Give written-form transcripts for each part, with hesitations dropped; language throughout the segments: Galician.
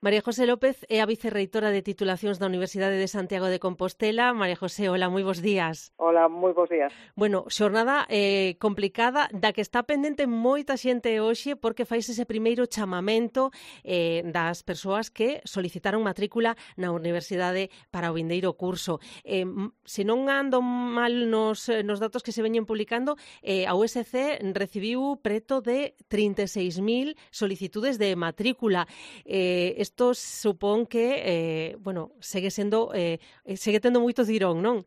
María José López é a vicerreitora de titulacións da Universidade de Santiago de Compostela. María José, hola, moi bons días. Hola, moi bons días. Bueno, xornada complicada, da que está pendente moita xente hoxe porque fais ese primeiro chamamento das persoas que solicitaron matrícula na Universidade para o vindeiro curso. Se non ando mal nos datos que se veñen publicando, a USC recibiu preto de 36.000 solicitudes de matrícula. Isto supón que, segue tendo moito tirón, non?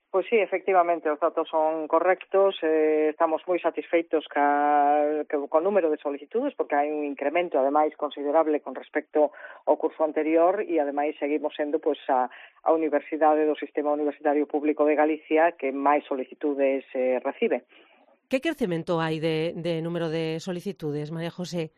Pois sí, efectivamente, os datos son correctos, estamos moi satisfeitos co número de solicitudes, porque hai un incremento, ademais, considerable con respecto ao curso anterior, e ademais seguimos sendo a universidade do Sistema Universitario Público de Galicia que máis solicitudes recibe. Que crecemento hai de número de solicitudes, María José?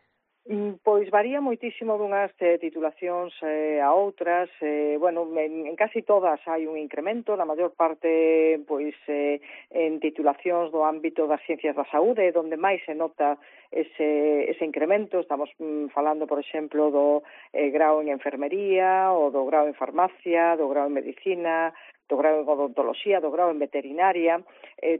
Pois varía moitísimo dunhas titulacións a outras. En casi todas hai un incremento, na maior parte en titulacións do ámbito das ciencias da saúde, onde máis se nota ese incremento. Estamos falando, por exemplo, do grau en enfermería, ou do grau en farmacia, do grau en medicina, do grau en odontoloxía, do grau en veterinaria.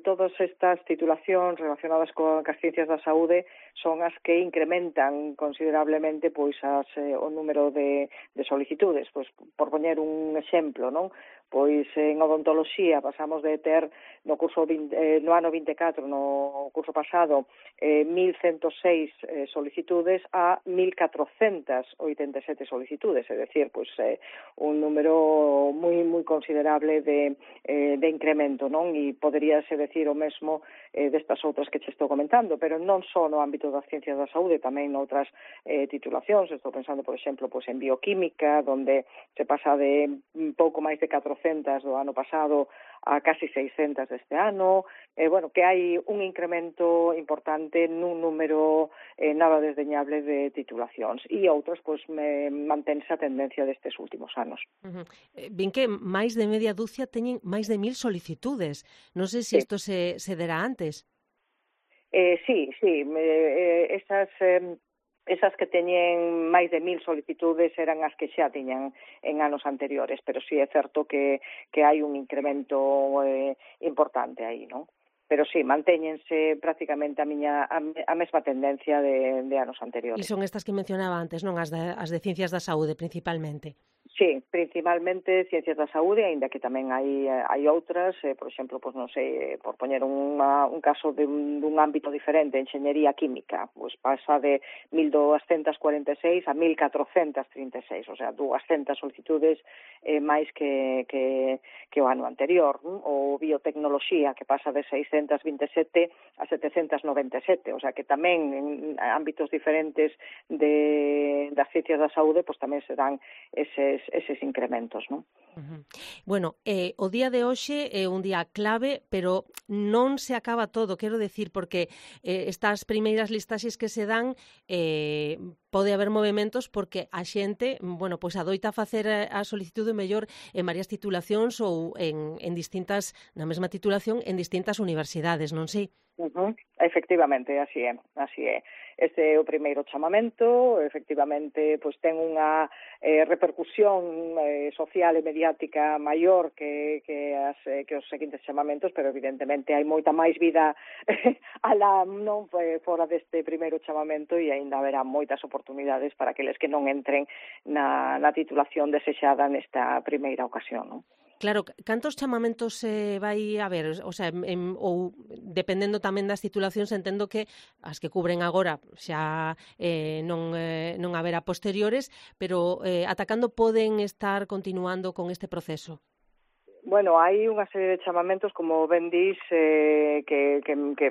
Todas estas titulacións relacionadas coas ciencias da saúde son as que incrementan considerablemente o número de solicitudes. Por poñer un exemplo, non? En odontoloxía pasamos de ter no ano 24, no curso pasado, 1.106 solicitudes a 1.487 solicitudes, é dicir, un número moi considerable de incremento, non? E poderíase decir o mesmo destas outras que che estou comentando, pero non só no ámbito das ciencias da saúde, tamén noutras titulacións. Estou pensando, por exemplo, en bioquímica, onde se pasa de pouco máis de 400 do ano pasado a casi 600 deste ano. Que hai un incremento importante nun número nada desdeñable de titulacións, e outras mantense a tendencia destes últimos anos. Vin que máis de media dúcia teñen máis de 1.000 solicitudes. Non sei se isto se derá antes. Sí. Esas que teñen máis de 1.000 solicitudes eran as que xa tiñan en anos anteriores, pero sí é certo que hai un incremento importante aí, non? Pero sí, mantéñense prácticamente a mesma tendencia de anos anteriores. E son estas que mencionaba antes, non? As de ciencias da saúde, principalmente. Sí, principalmente ciencias da saúde, aínda que tamén hai outras, por exemplo, por poñer un caso dun ámbito diferente, enxeñería química, pasa de 1.246 a 1.436, o sea, 200 solicitudes máis que o ano anterior, ou biotecnoloxía, que pasa de 627 a 797, o sea, que tamén en ámbitos diferentes das ciencias da saúde, tamén se dan eses incrementos, non? Bueno, o día de hoxe é un día clave, pero non se acaba todo, quero decir, porque estas primeiras listaxes que se dan pode haber movimentos porque a xente, adoita facer a solicitude mellor en varias titulacións ou en distintas, na mesma titulación, en distintas universidades, non sei? Efectivamente, así é. Este é o primeiro chamamento, efectivamente, ten unha repercusión social e mediática maior que os seguintes chamamentos, pero evidentemente hai moita máis vida non fora deste primeiro chamamento, e aínda haberá moitas oportunidades para aqueles que non entren na titulación desexada nesta primeira ocasión, non? Claro, cantos chamamentos vai haber? O sea, ou dependendo tamén das titulacións, entendo que as que cubren agora xa non haberá posteriores, pero ata cando poden estar continuando con este proceso? Bueno, hai unha serie de chamamentos, como ben dís, que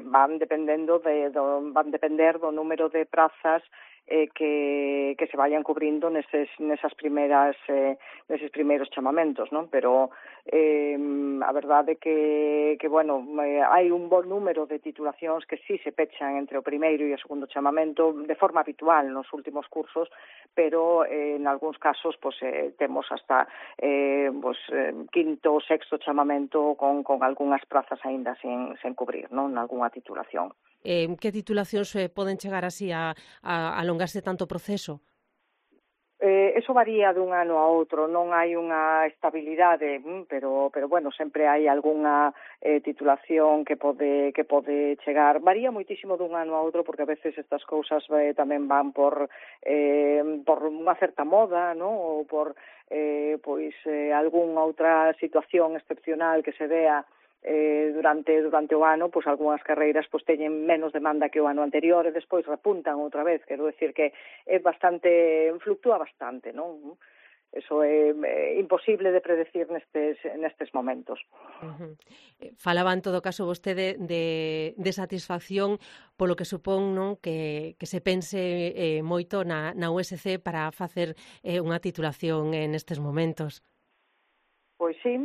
van depender do número de prazas que se vayan cubrindo neses primeiros chamamentos, non? Pero a verdade que hai un bon número de titulacións que sí se pechan entre o primeiro e o segundo chamamento de forma habitual nos últimos cursos, pero en algúns casos temos hasta quinto ou sexto chamamento con algunhas prazas aínda sen cubrir, non? Nalgúnha titulación. Que titulacións poden chegar así a alongarse tanto o proceso? Eso varía dun ano a outro, non hai unha estabilidade, pero bueno, sempre hai algunha titulación que pode chegar. Varía moitísimo dun ano a outro porque a veces estas cousas tamén van por unha certa moda, ¿no? Ou por algunha outra situación excepcional que se vea durante o ano, pois algunhas carreiras pois teñen menos demanda que o ano anterior e despois repuntan outra vez, quero decir que é bastante, fluctúa bastante, non? Eso é imposible de predecir nestes momentos. Falaba en todo caso vostede de satisfacción polo que supón, non, que se pense moito na USC para facer unha titulación nestes momentos. Pois sí,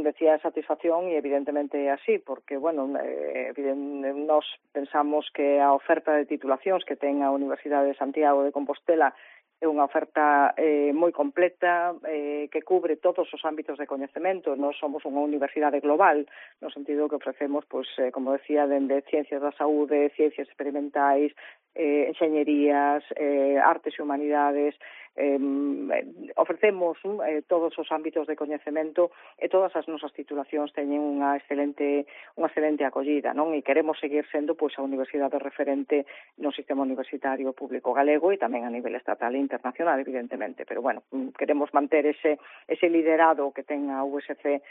decía satisfacción e evidentemente é así, porque, bueno, nós pensamos que a oferta de titulacións que ten a Universidade de Santiago de Compostela é unha oferta moi completa, que cubre todos os ámbitos de coñecemento. Nós somos unha universidade global, no sentido que ofrecemos, pois, como decía, dende ciencias da saúde, ciencias experimentais, enxeñerías, artes e humanidades, ofrecemos todos os ámbitos de coñecemento e todas as nosas titulacións teñen unha excelente acollida, non? E queremos seguir sendo pois a universidade referente no sistema universitario público galego e tamén a nivel estatal e internacional, evidentemente, pero bueno, queremos manter ese liderado que ten a USC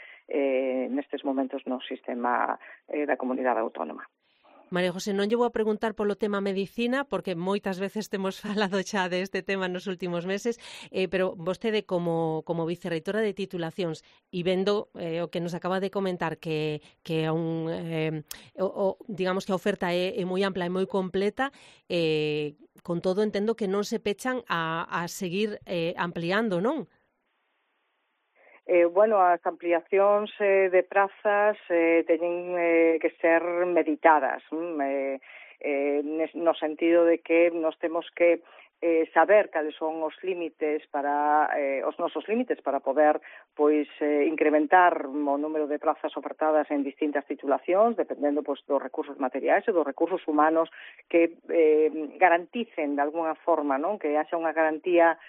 nestes momentos no sistema da comunidade autónoma. María José, non lle vou a preguntar polo tema medicina, porque moitas veces temos falado xa deste tema nos últimos meses, pero vostede como vicerreitora de titulacións e vendo o que nos acaba de comentar que digamos que a oferta é moi ampla e moi completa, con todo entendo que non se pechan a seguir ampliando, non? Bueno, as ampliacións de prazas teñen que ser meditadas, no sentido de que nos temos que saber cales son os límites os nosos límites para poder pois incrementar o número de plazas ofertadas en distintas titulacións, dependendo pois dos recursos materiais e dos recursos humanos que garanticen de alguna forma, non, que haxa unha garantía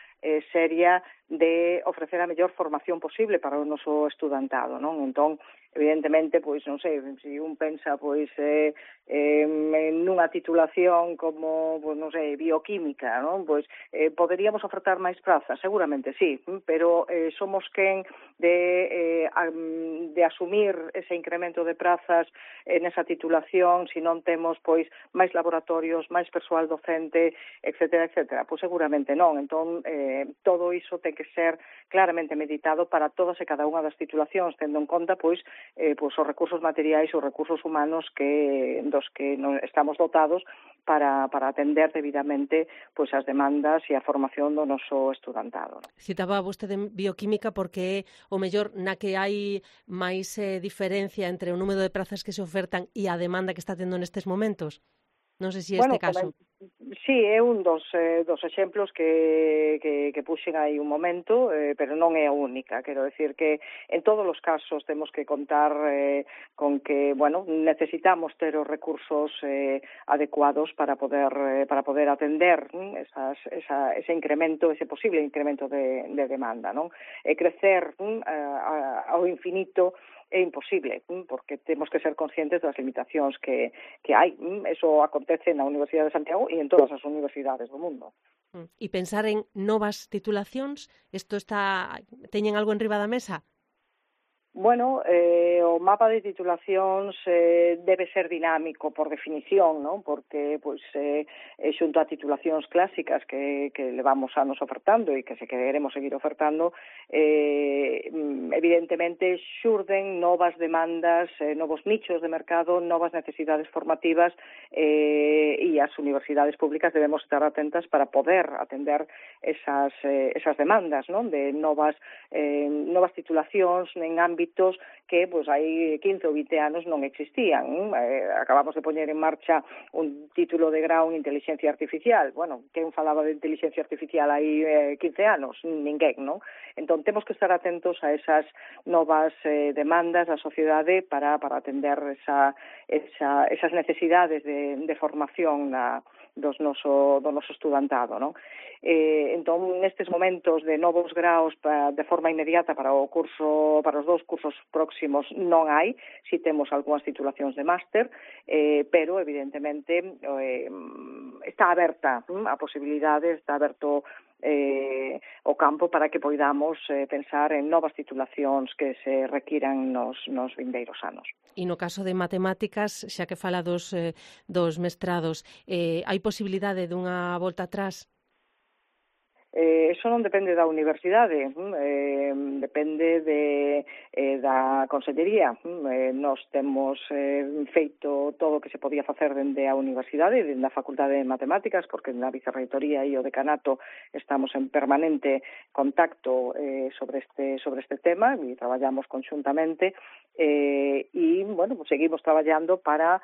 seria de ofrecer a mellor formación posible para o noso estudantado, non? Entón, evidentemente, pois non sei, se un pensa pois nunha titulación como, pois non sei, bioquímica, non? Pois poderíamos ofertar máis prazas, seguramente sí, pero somos quen de asumir ese incremento de prazas nesa titulación se non temos pois máis laboratorios, máis persoal docente, etcétera, etcétera. Pois seguramente non. Entón, todo iso ten que ser claramente meditado para todas e cada unha das titulacións, tendo en conta pois os recursos materiais e os recursos humanos dos que estamos dotados para atender debidamente pois as demandas e a formación do noso estudantado. Citaba vostede bioquímica porque o mellor na que hai máis diferencia entre o número de prazas que se ofertan e a demanda que está tendo nestes momentos? Non sei se este caso. Sí, é un dos exemplos que puxen aí un momento, pero non é a única. Quero decir que en todos os casos temos que contar con que, bueno, necesitamos ter os recursos adecuados para poder atender ese incremento, ese posible incremento de demanda, non? E crecer ao infinito é imposible, porque temos que ser conscientes das limitacións que hai. Eso acontece na Universidade de Santiago e en todas as universidades do mundo. E pensar en novas titulacións, teñen algo enriba da mesa? Bueno, o mapa de titulacións debe ser dinámico por definición, non? Porque pois xunto a titulacións clásicas que levamos anos ofertando e que se queremos seguir ofertando, evidentemente xurden novas demandas, novos nichos de mercado, novas necesidades formativas e as universidades públicas debemos estar atentas para poder atender esas demandas, non? De novas titulacións en ámbitos que pois hai 15 ou 20 anos non existían. Acabamos de poñer en marcha un título de grau en inteligencia artificial. Bueno, quen falaba de inteligencia artificial hai 15 anos? Ninguén, non? Entón, temos que estar atentos a esas novas demandas da sociedade para atender esas necesidades de formación do noso estudantado, non? Entón, nestes momentos de novos graos de forma inmediata para os 2 cursos próximos non hai, si temos algunhas titulacións de máster, pero evidentemente está aberta a posibilidades, está aberto o campo para que poidamos pensar en novas titulacións que se requiran nos vindeiros anos. E no caso de matemáticas, xa que fala dos mestrados, hai posibilidade dunha volta atrás? Eso non depende da universidade, depende da Consellería. Nós temos feito todo o que se podía facer dende a universidade, dende a Facultade de Matemáticas, porque na Vicerreitoría e o Decanato estamos en permanente contacto sobre este tema e traballamos conxuntamente e, bueno, pues seguimos traballando para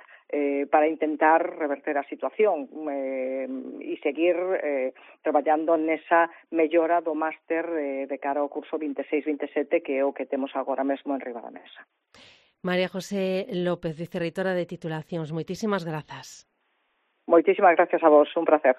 intentar reverter a situación e seguir traballando nesa mellora do máster de cara ao curso 26-27, que é o que temos agora mesmo en riba da mesa. María José López, vicerreitora de titulacións, moitísimas grazas. Moitísimas gracias a vos, un placer.